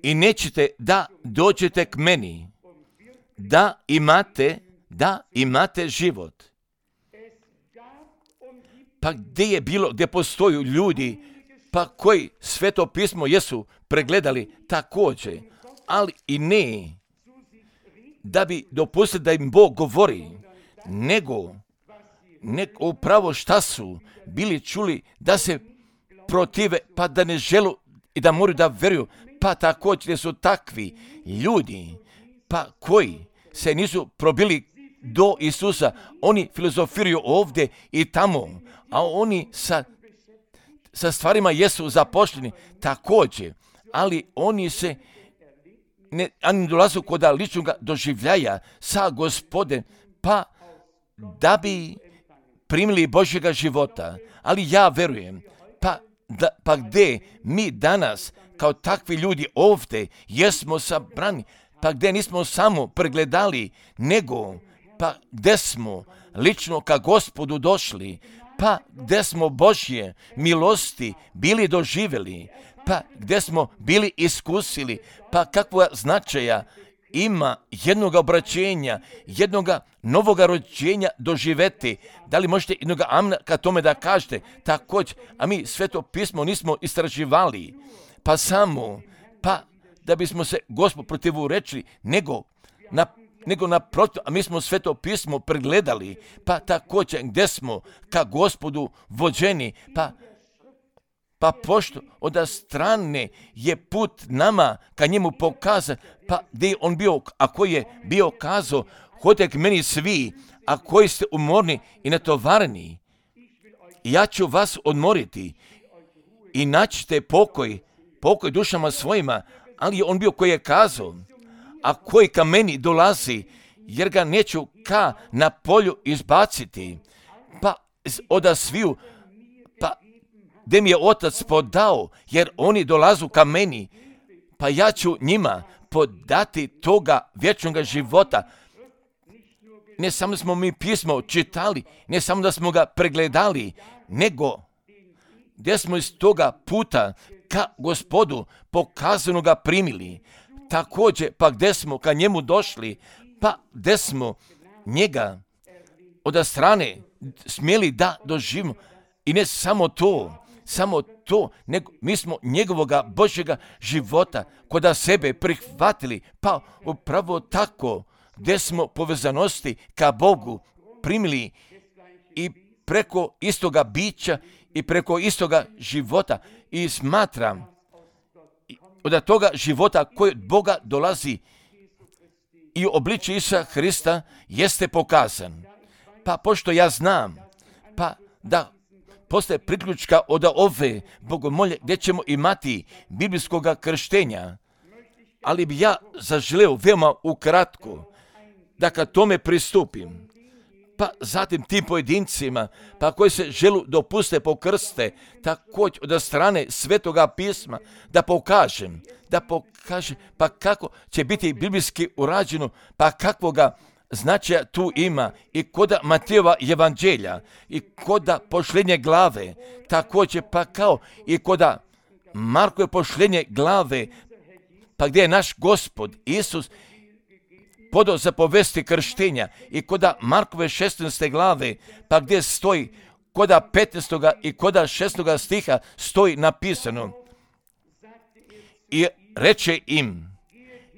I nećete da dođete k meni, da imate život. Pa gdje je bilo, gdje postoju ljudi, pa koji Sveto pismo jesu pregledali također, ali i ne da bi dopustili da im Bog govori, nego upravo šta su bili čuli da se protive, pa da ne želu i da moraju da veruju, pa također su takvi ljudi, pa koji se nisu probili do Isusa, oni filozofiraju ovdje i tamo, a oni sa stvarima jesu zaposleni također, ali oni se ne dolazu kod ličnog doživljaja sa Gospodem, pa da bi primili Božjega života. Ali ja verujem, pa gdje mi danas kao takvi ljudi ovdje jesmo sabrani, pa gdje nismo samo pregledali, nego pa gdje smo lično ka Gospodu došli, pa gdje smo Božje milosti bili doživjeli, pa gdje smo bili iskusili, pa kakva značaja ima jednog obraćenja, jednog novoga rođenja doživeti. Da li možete jednog amna ka tome da kažete? Također, a mi Sveto pismo nismo istraživali, pa samo, pa da bismo se Gospod protivurečili, nego naprotiv, a mi smo Sveto pismo pregledali, pa također gdje smo ka Gospodu vođeni, pa pošto od strane je put nama ka njemu pokazan, pa gdje je on bio, a koji je bio kazao, hodite k meni svi, a koji ste umorni i natovareni, ja ću vas odmoriti i naćite pokoj dušama svojima, ali je on bio koji je kazao, a koji ka meni dolazi, jer ga neću ka na polju izbaciti, pa od sviju, pa gdje mi je Otac podao, jer oni dolazu ka meni, pa ja ću njima podati toga vječnog života. Ne samo da smo mi pismo čitali, ne samo da smo ga pregledali, nego gdje smo iz toga puta ka Gospodu pokazano ga primili. Također, pa gdje smo ka njemu došli, pa gdje smo njega od strane smjeli da doživimo. I ne samo to, nego mi smo njegovoga Božjega života kod sebe prihvatili, pa upravo tako gdje smo povezanosti ka Bogu primili i preko istoga bića i preko istoga života. I smatram od toga života koji od Boga dolazi i u obličju Isusa Hrista jeste pokazan. Pa pošto ja znam, pa da postoje priključka od ove bogomolje gdje ćemo imati biblijskog krštenja, ali bi ja zaželeo veoma ukratko da ka tome pristupim. Pa zatim tim pojedincima, pa koji se želu dopuste pokrste, također od strane Svetoga pisma, da pokaže, pa kako će biti biblijski urađeno, pa kakvoga značaja tu ima i koda Matejova evanđelja i koda pošljenje glave, također pa kao i koda Markove pošljenje glave, pa gdje je naš Gospod Isus podao zapovesti krštenja i koda Markove 16. glave, pa gdje stoji koda 15. i koda 16. stiha stoji napisano i reče im,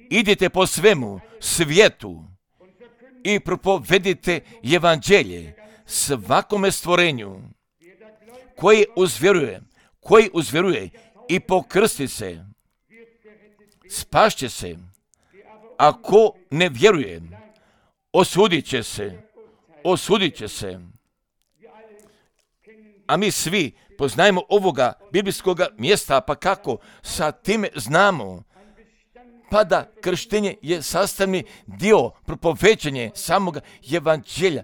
idite po svemu svijetu i propovedite evanđelje svakome stvorenju koji uzvjeruje i pokrsti se, spašće se, a ko ne vjeruje, osudit će se. A mi svi poznajemo ovoga biblijskog mjesta, pa kako sa time znamo, pa da krštenje je sastavni dio propoveđenja samog evanđelja,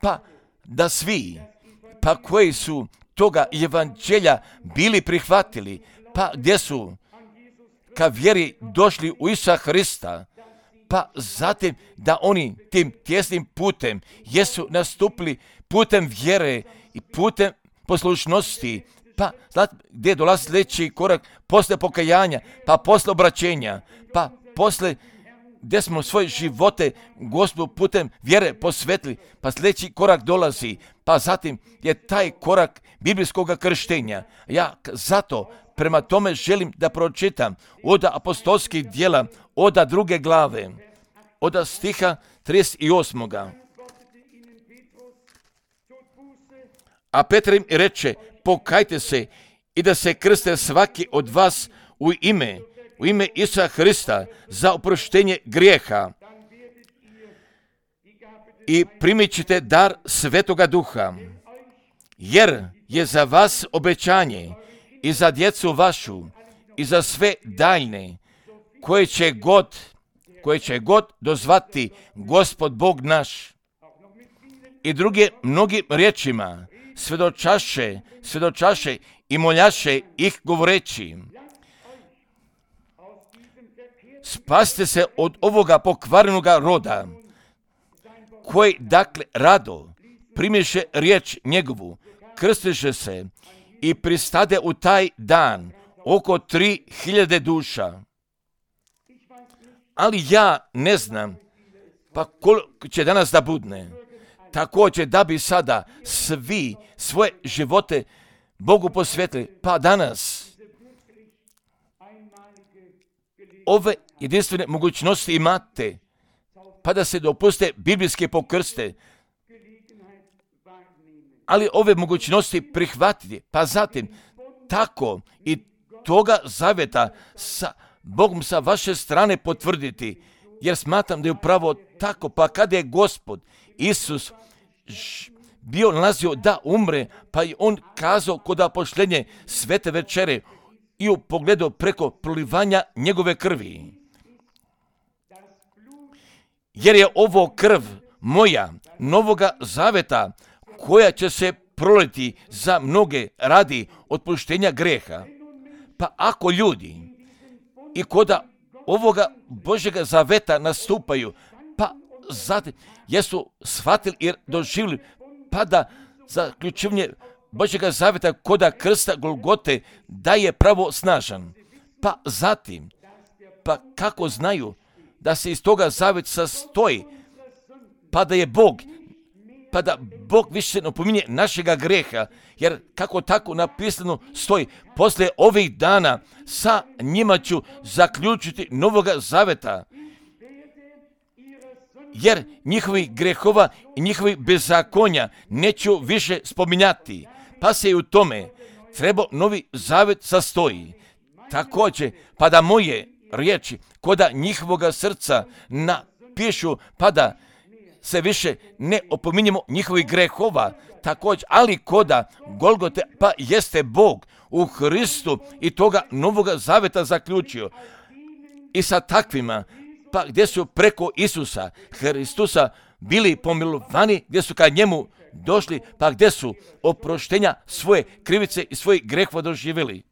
pa da svi, pa koji su toga evanđelja bili prihvatili, pa gdje su ka vjeri došli u Isusa Hrista, pa zatim da oni tim tjesnim putem jesu nastupili putem vjere i putem poslušnosti, pa znate gdje dolazi sljedeći korak posle pokajanja, pa posle obraćenja, pa posle gdje smo svoje živote Gospodu putem vjere posvetili, pa sljedeći korak dolazi, pa zatim je taj korak biblijskog krštenja. Ja zato prema tome želim da pročitam od apostolskih djela, od 2. glave, od stiha 38. A Petar im reče, pokajte se i da se krste svaki od vas u ime Isusa Hrista za oproštenje grijeha i primit ćete dar Svetoga Duha, jer je za vas obećanje i za djecu vašu i za sve daljne koje će god dozvati Gospod Bog naš. I druge mnogim riječima svjedočaše i moljaše ih govoreći, spasite se od ovoga pokvarenoga roda, koji dakle rado primješe riječ njegovu, krstiše se i pristade u taj dan oko 3000 duša. Ali ja ne znam pa koliko će danas da budne. Također da bi sada svi svoje živote Bogu posvetili, pa danas ove jedinstvene mogućnosti imate, pa da se dopuste biblijske pokrste, ali ove mogućnosti prihvatiti, pa zatim tako i toga zavjeta sa Bogom sa vaše strane potvrditi, jer smatram da je upravo tako, pa kada je Gospod Isus bio nalazio da umre, pa je on kazao kod apoštenja svete večere i u pogledu preko prolivanja njegove krvi. Jer je ovo krv moja novoga zaveta koja će se proliti za mnoge radi otpuštenja greha. Pa ako ljudi i koda ovoga Božjega zaveta nastupaju, pa zatim jesu shvatili i doživjeli, pa da zaključivanje Božjega zaveta koda krsta Golgote da je pravo snažan. Pa zatim, pa kako znaju da se iz toga zavet sastoji, pa da je Bog, pa da Bog više ne opominje našega greha, jer kako tako napisano stoji, poslije ovih dana sa njima ću zaključiti novoga zaveta, jer njihovih grehova i njihovih bezakonja neću više spominjati, pa se i u tome treba novi zavet sastoji. Također, pa da moje riječi koda njihovoga srca napišu, pa da se više ne opominjemo njihovih grehova, također, ali koda Golgote, pa jeste Bog u Hristu i toga novoga zaveta zaključio. I sa takvima, pa gdje su preko Isusa Hristusa bili pomilovani, gdje su ka njemu došli, pa gdje su oproštenja svoje krivice i svojih grehova doživjeli.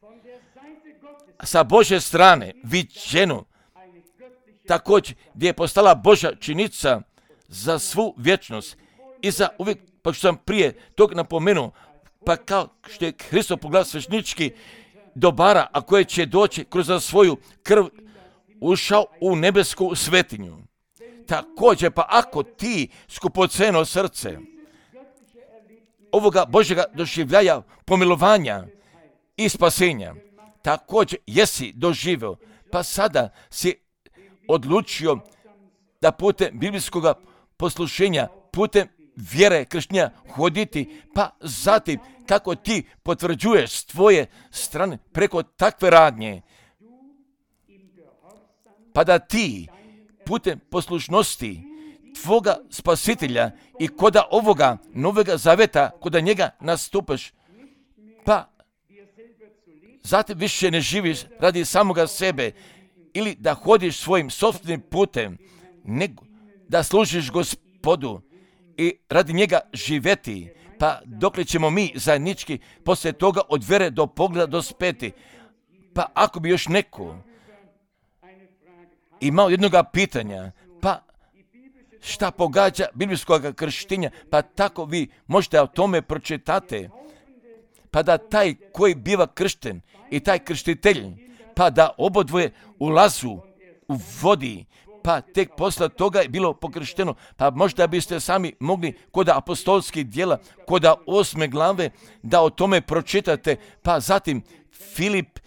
Sa Božje strane viđeno, također gdje je postala Božja činica za svu vječnost i za uvijek, pa što sam prije tog napomenuo, pa kao što je Hristo pogled svešnički dobara, a koje će doći kroz svoju krv ušao u nebesku svetinju. Također, pa ako ti skupoceno srce ovoga Božjega doživljaja pomilovanja i spasenja, također jesi doživio, pa sada si odlučio da putem biblijskog poslušenja, putem vjere kršćanja hoditi, pa zatim kako ti potvrđuješ s tvoje strane preko takve radnje, pa da ti putem poslušnosti tvoga spasitelja i koda ovoga novega zaveta, koda njega nastupaš, pa zatim više ne živiš radi samoga sebe ili da hodiš svojim sopstvenim putem, nego da služiš Gospodu i radi njega živjeti, pa dokle ćemo mi zajednički poslije toga od vere do pogleda dospeti. Pa ako bi još neko imao jednoga pitanja, pa šta pogađa biblijskog krštenja, pa tako vi možete o tome pročitati, pa da taj koji biva kršten i taj krštitelj, pa da obodvoje ulazu u vodi, pa tek posle toga je bilo pokršteno, pa možda biste sami mogli kod apostolskih djela, kod 8. glave, da o tome pročitate, pa zatim Filip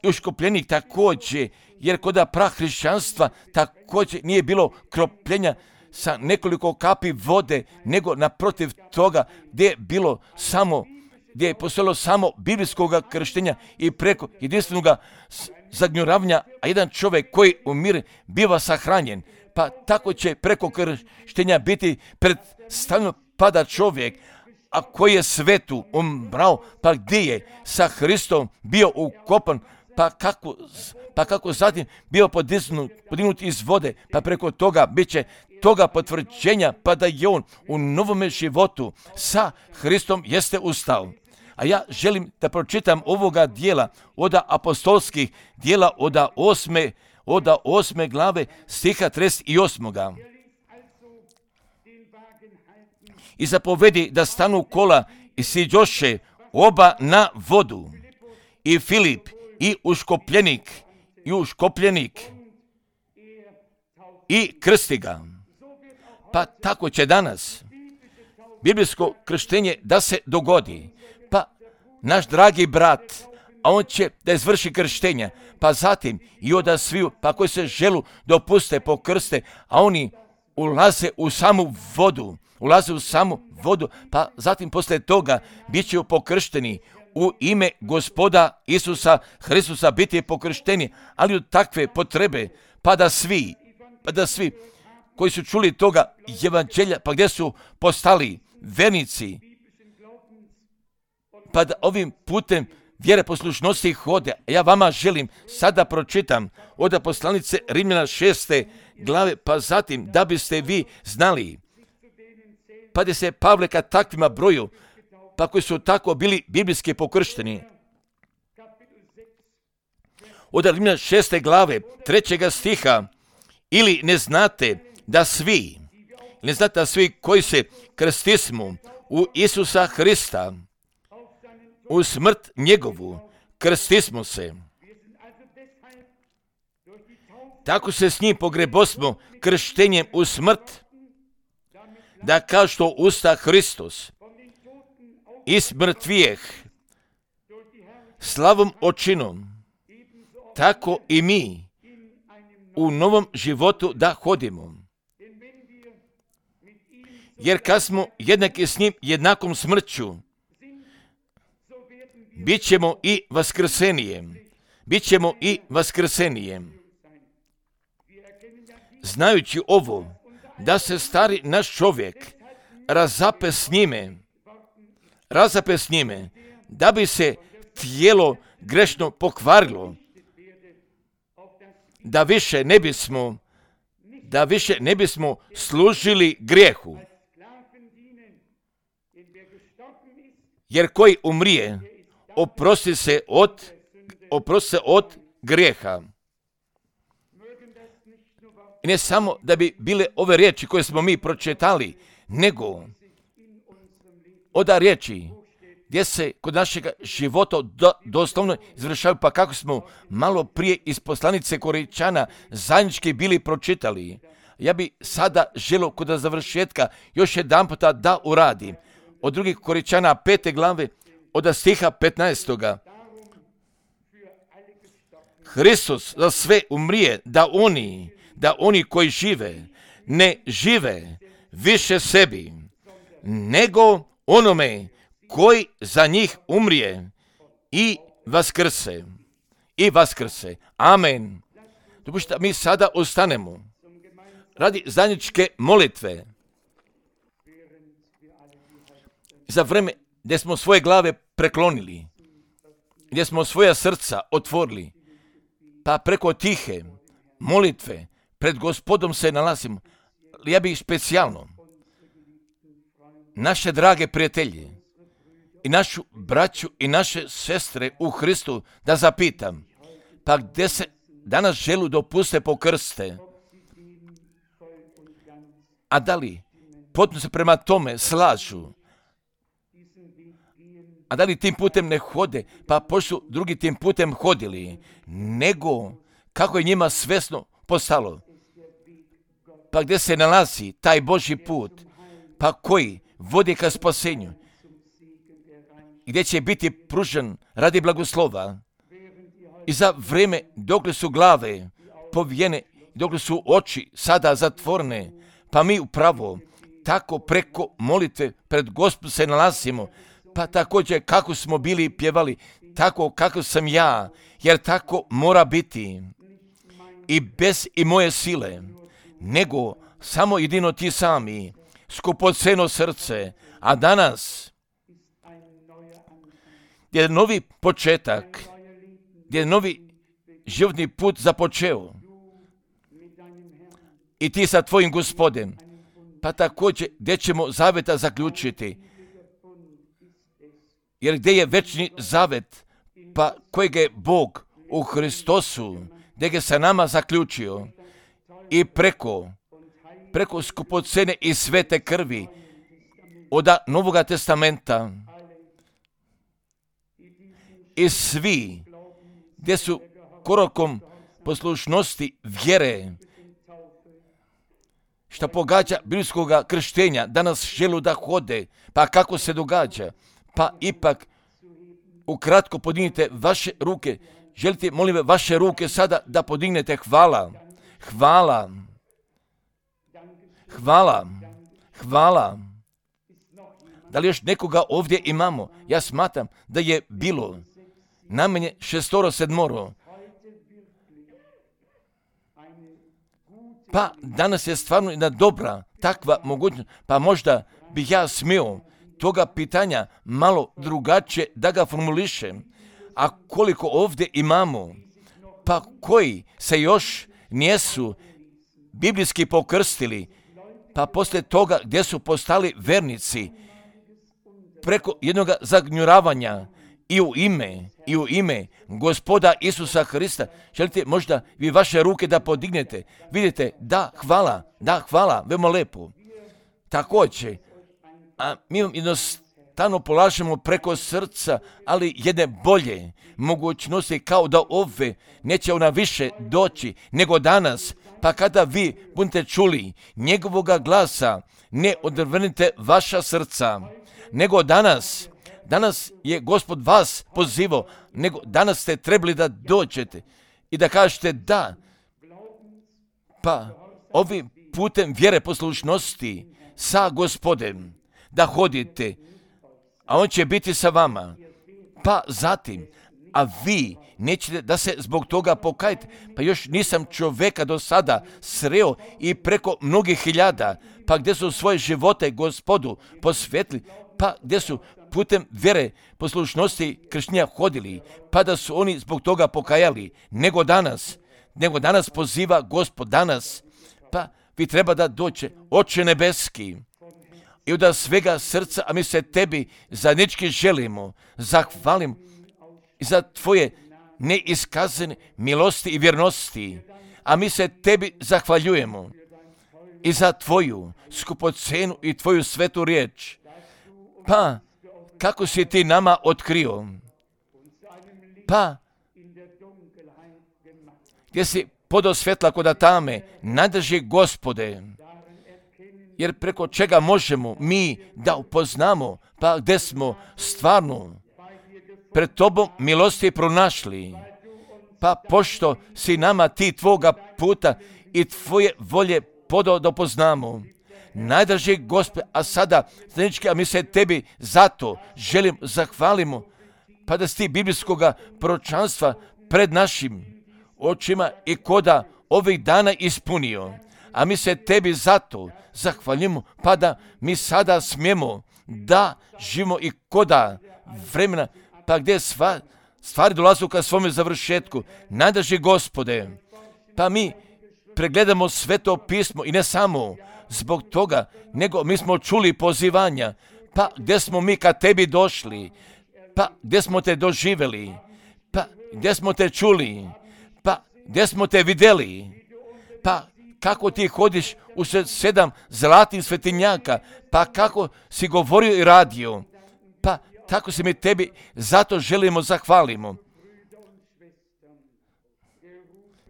i uškopljenik također, jer kod prahrišćanstva također nije bilo kropljenja sa nekoliko kapi vode, nego naprotiv toga gdje je postojalo samo biblijskog krštenja i preko jedinstvenog zagnjuravanja, a jedan čovjek koji umire biva sahranjen. Pa tako će preko krštenja biti predstavljeno pada čovjek, a koji je svetu umrao, pa gdje je sa Hristom bio ukopan, pa kako zatim bio podignut iz vode, pa preko toga bit će toga potvrđenja, pa da je on u novome životu sa Hristom jeste ustao. A ja želim da pročitam ovoga dijela od apostolskih dijela od 8. glave stiha 38. I zapovedi da stanu kola i siđoše oba na vodu. I Filip i uškopljenik i krsti ga. Pa tako će danas biblijsko krštenje da se dogodi. Pa naš dragi brat, a on će da izvrši krštenja, pa zatim i oda sviju, pa koji se želu dopuste pokrste, a oni ulaze u samu vodu, pa zatim poslije toga bit će pokršteni u ime Gospoda Isusa Hristusa biti pokršteni, ali od takve potrebe, pa da svi koji su čuli toga evanđelja, pa gdje su postali vernici, pa da ovim putem vjere poslušnosti hode. Ja vama želim sada pročitam od poslanice Rimljana 6. glave, pa zatim da biste vi znali, pa da se Pavle ka takvima broju, pa koji su tako bili biblijski pokršteni. Od Rimljana 6. glave 3. stiha, ili ne znate da svi koji se krstismo u Isusa Hrista, u smrt njegovu, krstismo se. Tako se s njim pogrebosmo krštenjem u smrt, da kao što usta Hristos iz mrtvijeh slavom očinom, tako i mi u novom životu da hodimo. Jer kad smo jednaki s njim jednakom smrću, bit ćemo i vaskrsenije. Znajući ovo, da se stari naš čovjek razape s njime, da bi se tijelo grešno pokvarilo, da više ne bismo služili grijehu. Jer koji umrije, oprosti se od grijeha. I ne samo da bi bile ove riječi koje smo mi pročitali, nego od riječi gdje se kod našeg života doslovno izvršavaju, pa kako smo malo prije iz poslanice Korinčana zajednički bili pročitali. Ja bi sada želio kod završetka još jedan puta da uradim. Od 2. Korinčana 5. glave od stiha 15. Hristos za sve umrije, da oni koji žive, ne žive više sebi, nego onome koji za njih umrije i vaskrse. Amen. Dopustite, mi sada ostanemo radi zajedničke molitve. Za vreme gdje smo svoje glave preklonili, gdje smo svoja srca otvorili, pa preko tihe molitve pred Gospodom se nalazimo. Ja bih specijalno naše drage prijatelje i našu braću i naše sestre u Hristu da zapitam, pa gdje se danas želu dopuste pokrste, a da li potpuno se prema tome slažu, a da li tim putem ne hode, pa pošto su drugi tim putem hodili, nego kako je njima svesno postalo, pa gdje se nalazi taj Božji put, pa koji vodi ka spasenju, gdje će biti pružen radi blagoslova. I za vrijeme dok su glave povijene, dok su oči sada zatvorene, Pa mi upravo tako preko molitve pred Gospodom se nalazimo. Pa također kako smo bili pjevali, tako kako sam ja, jer tako mora biti. I bez i moje sile, nego samo jedino ti sami, skupoceno srce, a danas je novi početak, gdje je novi životni put započeo. I ti sa tvojim Gospodem, pa također gdje ćemo zaveta zaključiti. Jer gdje je večni zavet, pa kojeg je Bog u Hristosu, gdje ga sa nama zaključio i preko skupocene i svete krvi od Novoga testamenta i svi gdje su korakom poslušnosti vjere što pogađa biblijskog krštenja, danas žele da hode, pa kako se događa? Pa ipak ukratko podignite vaše ruke. Želite, molim vas, vaše ruke sada da podignete. Hvala, hvala, hvala, hvala. Da li još nekoga ovdje imamo? Ja smatram da je bilo najmanje 6-7. Pa danas je stvarno jedna dobra takva mogućnost. Pa možda bih ja smio toga pitanja malo drugačije da ga formulišem. A koliko ovdje imamo, pa koji se još nisu biblijski pokrstili, pa poslije toga gdje su postali vernici, preko jednog zagnjuravanja i u ime Gospoda Isusa Hrista, želite možda vi vaše ruke da podignete? Vidite, da, hvala, veoma lepo. Također, a mi vam jednostavno polažemo preko srca, ali jedne bolje mogućnosti, kao da ove neće ona više doći nego danas. Pa kada vi budete čuli njegovoga glasa, ne odvrnite vaša srca, nego danas je Gospod vas pozivao, nego danas ste trebali da dođete i da kažete da. Pa ovim putem vjere poslušnosti sa Gospodem da hodite, a on će biti sa vama. Pa zatim, a vi nećete da se zbog toga pokajete. Pa još nisam čovjeka do sada sreo i preko mnogih hiljada, pa gdje su svoje živote Gospodu posvetili, pa gdje su putem vjere poslušnosti krštenja hodili, pa da su oni zbog toga pokajali, nego danas poziva Gospod, danas, pa vi treba da dođe, Oče nebeski, i od svega srca, a mi se tebi zajednički želimo, zahvalim za tvoje neiskazane milosti i vjernosti, a mi se tebi zahvaljujemo i za tvoju skupocenu i tvoju svetu riječ. Pa, kako si ti nama otkrio? Pa, gdje si podao svjetla koda tame, nadrži Gospode, jer preko čega možemo mi da upoznamo, pa gdje smo stvarno pred tobom milosti pronašli, pa pošto si nama ti tvoga puta i tvoje volje podao da upoznamo. Najdraži Gospod, a sada, zajednički, a mi se tebi zato želim zahvalimo, pa da si ti biblijskoga proročanstva pred našim očima i koda ovih dana ispunio. A mi se tebi zato zahvaljujemo, pa da mi sada smijemo da živimo i koda vremena, pa gdje stvari dolazu ka svome završetku. Najdraži Gospode, pa mi pregledamo sveto pismo i ne samo zbog toga, nego mi smo čuli pozivanja, pa gdje smo mi ka tebi došli, pa gdje smo te doživjeli, pa gdje smo te čuli, pa gdje smo te vidjeli, pa kako ti hodiš u 7 zlatih svetinjaka, pa kako si govorio i radio, pa tako se mi tebi zato želimo zahvalimo.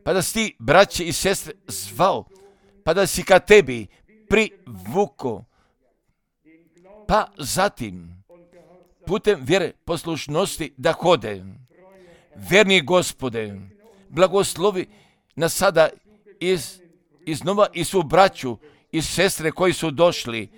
Pa da si ti, braće i sestre, zvao, pa da si ka tebi privuko, pa zatim putem vjere poslušnosti da hode. Verni Gospode, blagoslovi nas sada iznova i svu braću i sestre koji su došli,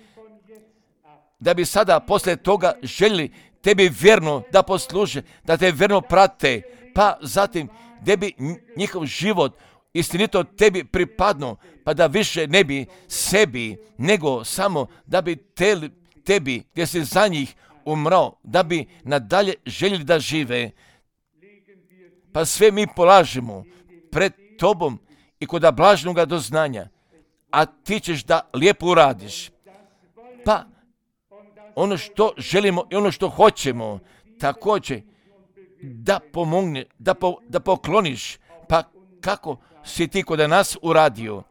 da bi sada poslije toga željeli tebi vjerno da posluže, da te vjerno prate, pa zatim da bi njihov život istinito tebi pripadno, pa da više ne bi sebi, nego samo da bi tebi, gdje si za njih umrao, da bi nadalje željeli da žive. Pa sve mi polažemo pred tobom i kod blažnoga doznanja, a ti ćeš da lijepo uradiš. Pa ono što želimo i ono što hoćemo, također da pomogne, da pokloniš, pa kako si ti kod nas uradio.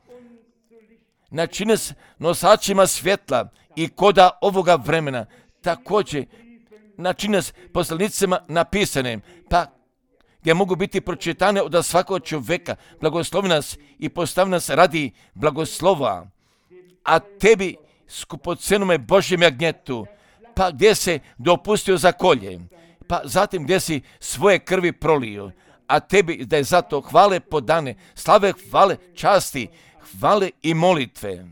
Načini s nosačima svjetla i koda ovoga vremena, također načini s poslanicima napisanim, pa gdje mogu biti pročitane od svakog čovjeka. Blagoslovi nas i postavi nas radi blagoslova, a tebi skupocenome Božjem jagnjetu, pa gdje se dopustio za kolje, pa zatim gdje si svoje krvi prolio, a tebi da je zato hvale podane, slave, hvale, časti, hvale i molitve.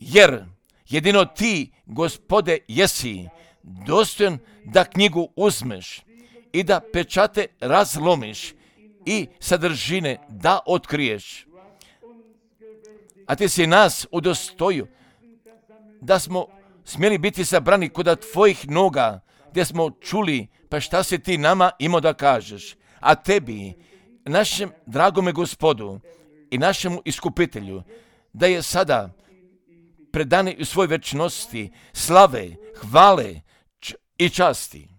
Jer jedino ti, Gospode, jesi dostojan da knjigu uzmeš i da pečate razlomiš i sadržine da otkriješ. A ti si nas udostojio da smo smjeli biti sabrani kod tvojih noga, gdje smo čuli, pa šta si ti nama imao da kažeš. A tebi, našem dragome Gospodu i našemu iskupitelju, da je sada predani u svoj večnosti slave, hvale i časti.